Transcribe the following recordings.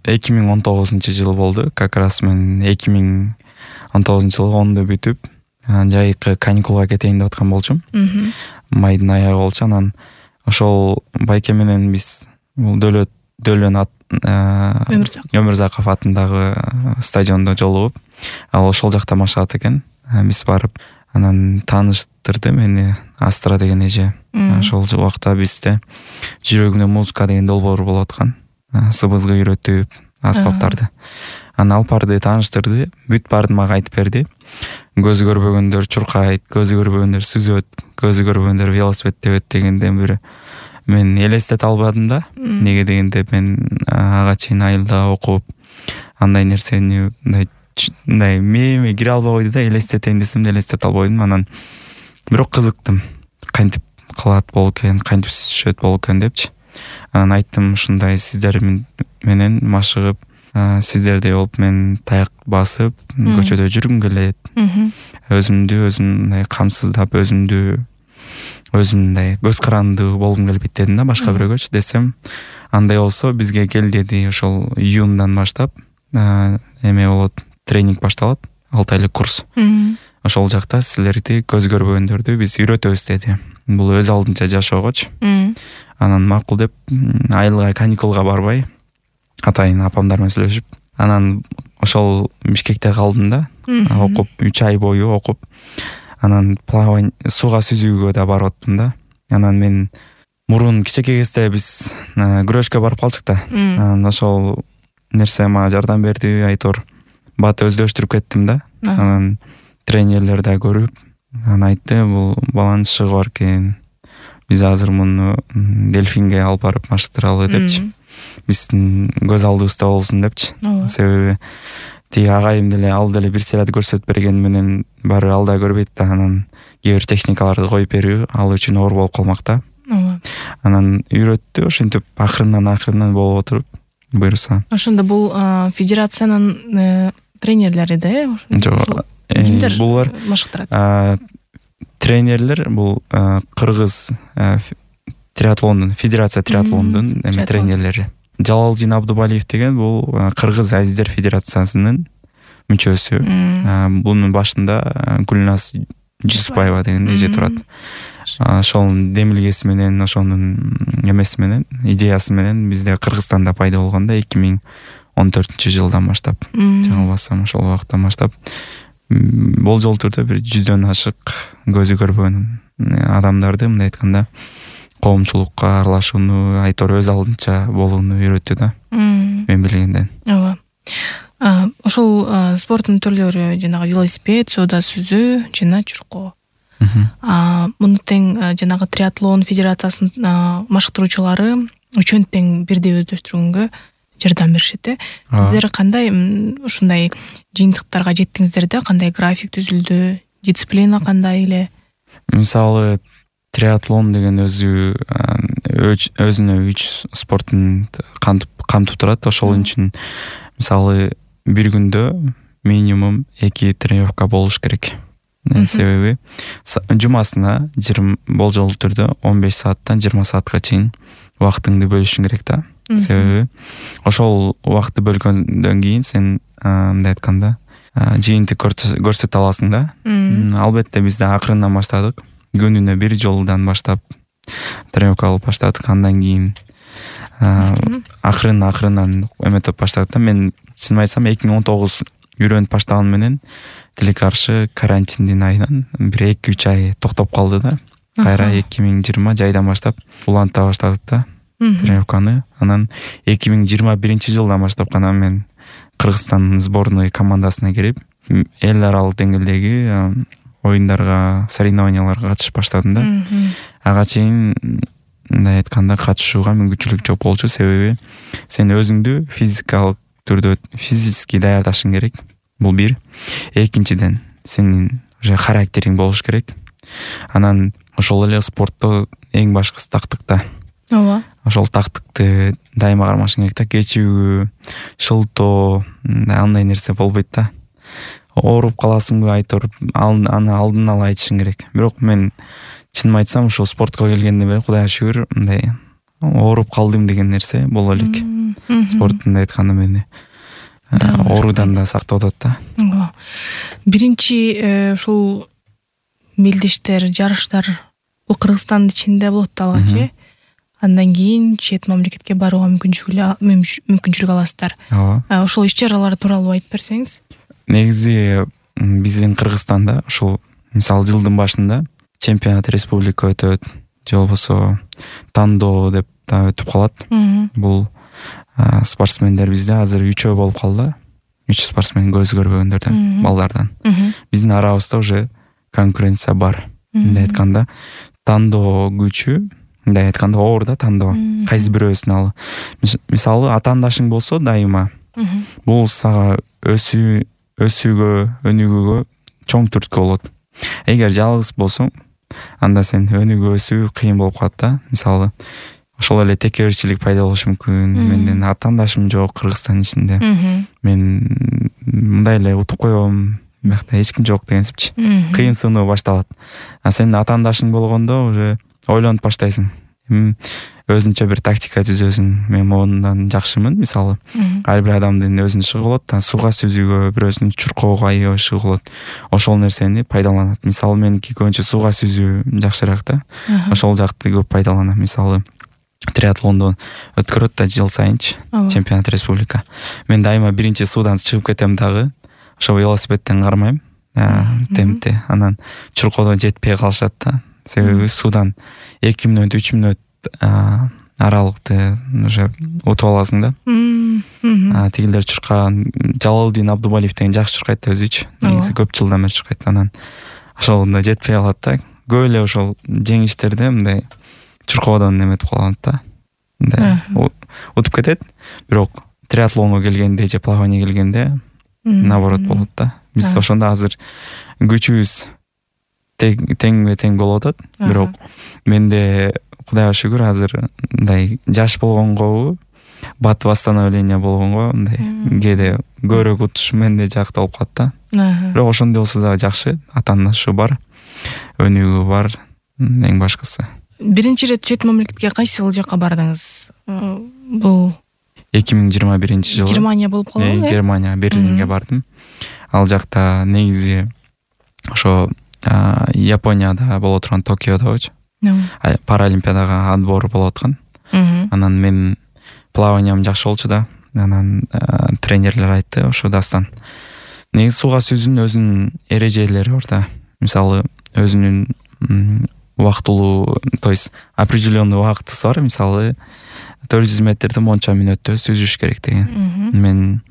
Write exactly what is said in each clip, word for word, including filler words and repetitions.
эки миң он тогузунчу жыл болду. Как раз мен эки миң он тогузунчу жылы онду бүтүп жайкы каникулга кетейин деп аткан болчумун. Майдын аягы болчу. Анан ошол байке менен биз бул Дөлөт Дөлөн Өмүрзаков атындагы стадиондо жолугуп, ал ошол жакта машыгат экен. Биз барып, анан тааныштырды мени Астра деген эже. Ошол убакта бизде жүрөгүнө музыка деген долбоор болуп аткан. Сыбызгы үйрөтүп, аспаптарды. Анан Алпарды тааныштырды, бүт баарын мага айтып берди. Көзү көрбөгөндөр чуркайт, көзү көрбөгөндөр сүзөт, көзү көрбөгөндөр велосипед тебет дегенден бир мен элестете албадым да. Неге дегенде мен ага чейин айылда окуп, андай нерсени мындай мындай мээме кире албай койду да, элестетейин десем да элестете албадым. Анан бирок кызыктым. Кантип кылат болуп экен, кантип сүзүшөт болуп экен депчи. Анан айттым, ушундай сиздер менен машыгып, сиздердей болуп мен таяк басып көчөдө жүргүм келет. Өзүмдү өзүм мындай камсыздап, өзүмдү өзүм мындай көз карандуу болгум келбейт дедим да, башка бирөөгөчү десем, андай болсо бизге кел деди. Ошол июндан баштап эме болот, тренинг башталат, алты айлык курс. Ошол жакта силерди көз көрбөгөндөрдү биз үйрөтөбүз деди. Бул өз алдынча жашоогочу. Анан макул деп айылга каникулга барбай, атайын апамдар менен сүйлөшүп, анан ошол Бишкекте калдым да, окуп үч ай бою окуп. Анан плавание, сууга сүзүүгө да барып аттым да. Анан мен мурун кичинекей кезде биз күрөшкө барып калчык да. Анан ошол нерсе мага жардам берди, айтор бат өздөштүрүп кеттим да. Анан тренерлер да көрүп, анан айтты, бул баланын шыгы бар экен. Биз азыр муну дельфинге алып барып маштыралы депчи. Биздин көз алдыбызда болсун депчи. Себеби тиги агайым деле ал деле бир сыйрат көрсөтүп берген менен баары ал да көрбөйт да. Анан кээ бир техникаларды коюп берүү ал үчүн оор болуп калмак да. Анан үйрөттү, ошентип акырындан акырындан болуп отуруп буюрса. Ошондо бул федерациянын тренерлери да, э? Жок. Булар машыктырат. Тренерлер бул кыргыз триатлондун, федерация триатлондун эме тренерлери. Жалалдин Абдубалиев деген бул Кыргыз Азиздер федерациясынын мүчөсү. Бунун башында Гүлназ Жусупаева деген эже турат. Ошонун демилгеси менен, ошонун эмеси менен, идеясы менен бизде Кыргызстанда пайда болгондо эки миң он төртүнчү жылдан баштап, жаңылбасам ошол убакыттан баштап болжол түрдө бир жүздөн ашык көзү көрбөгөн адамдарды, мындай айтканда, коомчулукка аралашууну, айтор өз алдынча болууну үйрөттү да. Мен билгенден. Ооба. Ошол спорттун түрлөрү жанагы велосипед, сууда сүзүү жана чуркоо. Муну тең жанагы триатлон федерациясынын машыктыруучулары үчөөнү тең бирдей өздөштүргөнгө жардам беришет. Сиздер кандай ушундай жыйынтыктарга жеттиңиздер да? Кандай график түзүлдү? Дисциплина кандай эле? Мисалы, триатлон деген өзү өзүнө үч спорттун камтып турат. Ошол үчүн мисалы бир күндө минимум эки тренировка болуш керек. Себеби жумасына болжол түрдө он беш сааттан жыйырма саатка чейин убактыңды бөлүшүң керек да. Себеби ошол убакытты бөлгөндөн кийин сен мындай айтканда жыйынтык көрсөтө аласың да. Албетте бизде акырындан баштадык. Күнүнө бир жолдан баштап тренировка алып баштадык. Андан кийин акырын акырындан эметип баштадык да. Мен чын айтсам эки миң он тогуз үйрөнүп баштаган менен тилекке каршы карантиндин айынан бир эки үч ай токтоп калды да. Кайра эки миң жыйырма жайдан баштап уланта баштадык да тренировканы. Анан эки миң жыйырма биринчи жылдан баштап гана мен Кыргызстан сборной командасына кирип, эл аралык деңгээлдеги оюндарга, соревнованияларга катышып баштадым да. Ага чейин мындай айтканда катышууга мүмкүнчүлүк жок болчу. Себеби сен өзүңдү физикалык түрдө физически даярдашың керек. Бул бир. Экинчиден, сенин уже характериң болуш керек. Анан ошол эле спортто эң башкысы тактыкта. Ооба. Ошол тактыкты дайыма кармашың керек да. Кечүүгү, шылтоо, андай нерсе болбойт да. Ооруп каласыңбы, айтор, аны алдын ала айтышың керек. Бирок мен чынын айтсам, ошол спортко келгенден бери Кудайга шүгүр, мындай ооруп калдым деген нерсе боло элек. спортунда айтканда мени оорудан да сактап атат да. Биринчи ушул мелдештер, жарыштар бул Кыргызстандын ичинде болот да алгач, андан кийин чет мамлекетке барууга мүмкүнчүлүк аласыздар. Ооба. Ошол иш-чаралар тууралуу айтып берсеңиз. Негизи биздин Кыргызстанда ушул мисалы жылдын башында чемпионат республика өтөт, же болбосо тандоо деп да өтүп калат. Бул спортсмендер бизде азыр үчөө болуп калды. үч спортсмен көз көрбөгөндөрдөн, балдардан. Биздин арабызда уже конкуренция бар. Мындай айтканда, тандоо күчү, мындай айтканда оор да тандоо. Кайсы бирөөсүн ал. Мисалы атаандашың болсо дайыма, бул сага өсүү өсүүгө, өнүгүүгө чоң түрткү болот. Эгер жалгыз болсоң, анда сен өнүгүү өсүү кыйын болуп калат да. Мисалы, ошол эле текеберчилик пайда болушу мүмкүн. Менден атаандашым жок Кыргызстан ичинде. Мен мындай эле утуп коем, биякта эч ким жок дегенсипчи. Кыйын сыноо башталат. А сенин атаандашың болгондо уже ойлонуп баштайсың. Өзүнчө бир тактика түзөсүң. Мен мондан жакшымын, мисалы. Ар бир адамдын өзүнүн ишиги болот, сууга сүзүүгө, бирөөсүнүн чуркоого айоо ишиги болот. Ошол нерсени пайдаланат. Мисалы, меники көбүнчө сууга сүзүү жакшыраак да. Ошол жакты көп пайдаланам. Мисалы, триатлондо өткөрөт да жыл сайынчы чемпионат республика. Мен дайыма биринчи суудан чыгып кетем дагы. Ошо велосипедден кармайм. Темпте. Анан чуркоодо жетпей калышат да. Себеби суудан эки мүнөт, үч мүнөт аралыкты уже утуп аласың да. Тигилер чуркаган Жалалдин Абдубалиев деген жакшы чуркайт да өзүчү. Негизи көп жылдан бери чуркайт. Анан ошолдо жетпей калат да. Көп эле ошол жеңиштерде мындай чуркоодон неметип калат да. Мындай утуп кетет. Бирок триатлонго келгенде же плавание келгенде наоборот болот да. Биз ошондо азыр күчүбүз теңме тең болуп атат. Бирок менде Кудайга шүгүр азыр мындай жаш болгонго, бат восстановление болгонго мындай кээде көбүрөөк утуш менде жакта болуп калат да. Бирок ошондой болсо да жакшы, атаандашы бар, өнүгүү бар, эң башкысы. Биринчи ирет чет мамлекетке кайсы жакка бардыңыз? Бул эки миң жыйырма биринчи жылы Германия болуп калды. Германия, Берлинге бардым. Ал жакта негизи ошо Японияда боло турган Токиодочу паралимпиадага отбор болуп аткан. Анан мен плаваниям жакшы болчу да. Анан тренерлер айтты, ошо дастан. Негизи сууга сүзүүнүн өзүнүн эрежелери бар да. Мисалы, өзүнүн убактылуу, то есть определенный убактысы бар. Мисалы, төрт жүз метрди монча мүнөттө сүзүш керек деген. Мен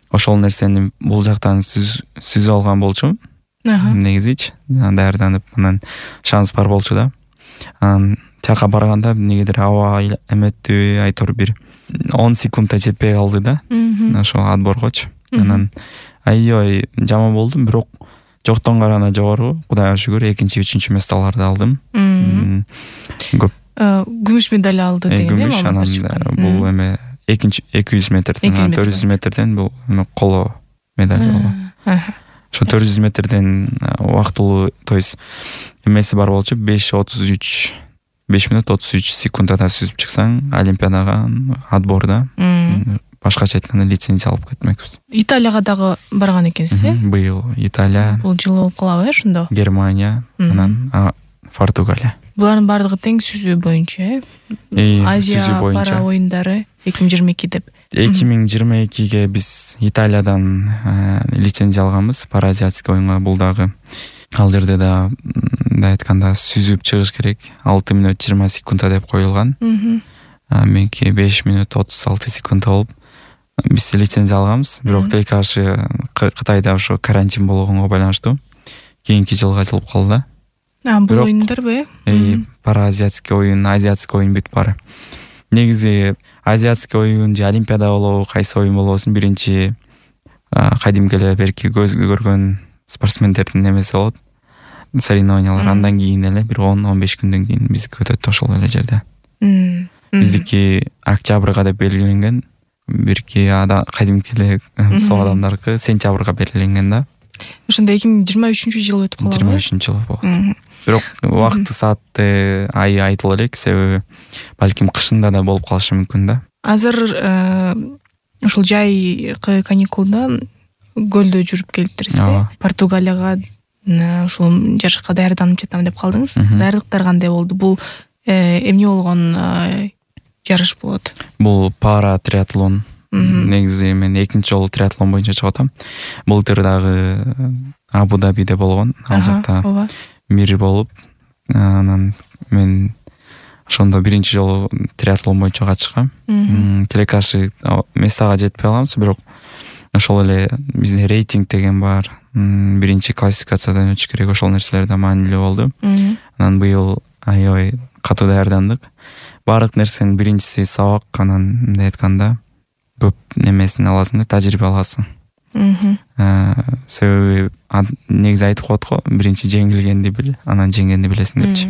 ошол нерсени бул жактан сүзүп алган болчумун. Негизичи даярданып, анан шанс бар болчу да. Анан тияка барганда негедир аба эметти, айтор бир он секундта жетпей калды да. Ошол отборгочу. Анан аябай жаман болдум, бирок жоктон караганда жогору, Кудайга шүгүр, экинчи, үчүнчү месталарды алдым. Көп күмүш медаль алды деген. Күмүш, анан бул эме экинчи эки жүз метрден, төрт жүз метрден бул коло медаль болгон. Ошо төрт жүз метрден убактылуу, то есть эмеси бар болчу, беш отуз үч беш мүнөт отуз үч секундада сүзүп чыксаң, олимпиадага отборда башкача айтканда лицензия алып кетмекпиз. Италияга дагы барган экенсиз, э? Быйыл Италия. Бул жылы болуп калабы, э, ошондо? Германия, анан Португалия. Булардын баардыгы тең сүзүү боюнча, э? Азия пара оюндары эки миң жыйырма эки деп. эки миң жыйырма экиге биз Италиядан лицензия алганбыз, паразиатский оюнга. Бул дагы ал жерде да мындай айтканда сүзүп чыгыш керек. алты мүнөт жыйырма секундта деп коюлган. Меники беш мүнөт отуз алты секундта болуп биз лицензия алганбыз. Бирок тил каршы Кытайда ошо карантин болгонго байланыштуу кийинки жылга жылып калды. А, бул оюндарбы? Э, паразиатский оюн, азиатский оюн бүт баары. Негизи азиатский оюн же олимпиада болобу, кайсы оюн болобусун, биринчи кадимки эле берки көз көргөн спортсмендердин немеси болот, соревнованиялар. Андан кийин эле бир он он беш күндөн кийин биздики өтөт ошол эле жерде. Биздики октябрга деп белгиленген, бирки ада кадимки эле сол адамдаркы сентябрга белгиленген да. Ошондо эки миң жыйырма үчүнчү жыл өтүп калды. жыйырма үчүнчү жыл болгон. бирок убакыты саатты ай айтыла элек, себеби балким кышында да болуп калышы мүмкүн да. Азыр ушул жайкы каникулда көлдө жүрүп келиптирсиз. Португалияга ушул жарышка даярданып жатам деп калдыңыз. Даярдыктар кандай болду? Бул эмне болгон жарыш болот? Бул пара триатлон. Негизи мен экинчи жолу триатлон боюнча чыгып атам. Былтыр дагы Абу-Дабиде болгон. Ал жакта мир болуп, анан мен ошондо биринчи жолу триатлон боюнча катышкам. Телекашы местага жетпей калабыз, бирок ошол эле бизде рейтинг деген бар. Биринчи классификациядан өтүш керек, ошол нерселер да маанилүү болду. Анан быйыл аябай катуу даярдандык. Баардык нерсенин биринчиси сабак, анан мындай айтканда көп немесин аласың да, тажрыйба аласың. Себеби негизи айтып коет го, биринчи жеңилгенди бил, анан жеңгенди билесиң депчи.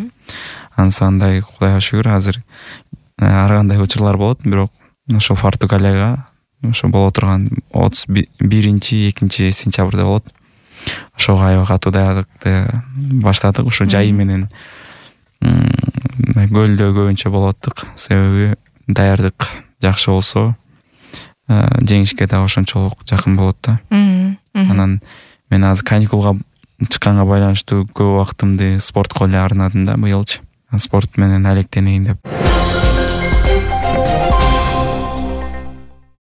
Ансандай Кудайга шүгүр, азыр ар кандай учурлар болот, бирок ошо Португалияга ошо боло турган отуз биринчи экинчи сентябрда болот. Ошого аябай катуу даярдыкты баштадык. Ошо жайы менен көлдө көбүнчө болуп аттык, себеби даярдык жакшы болсо жеңишке да ошончолук жакын болот да. Анан мен азыр каникулга чыкканга байланыштуу көп убактымды спортко эле арнадым да быйылчы. Спорт менен алектенейин деп.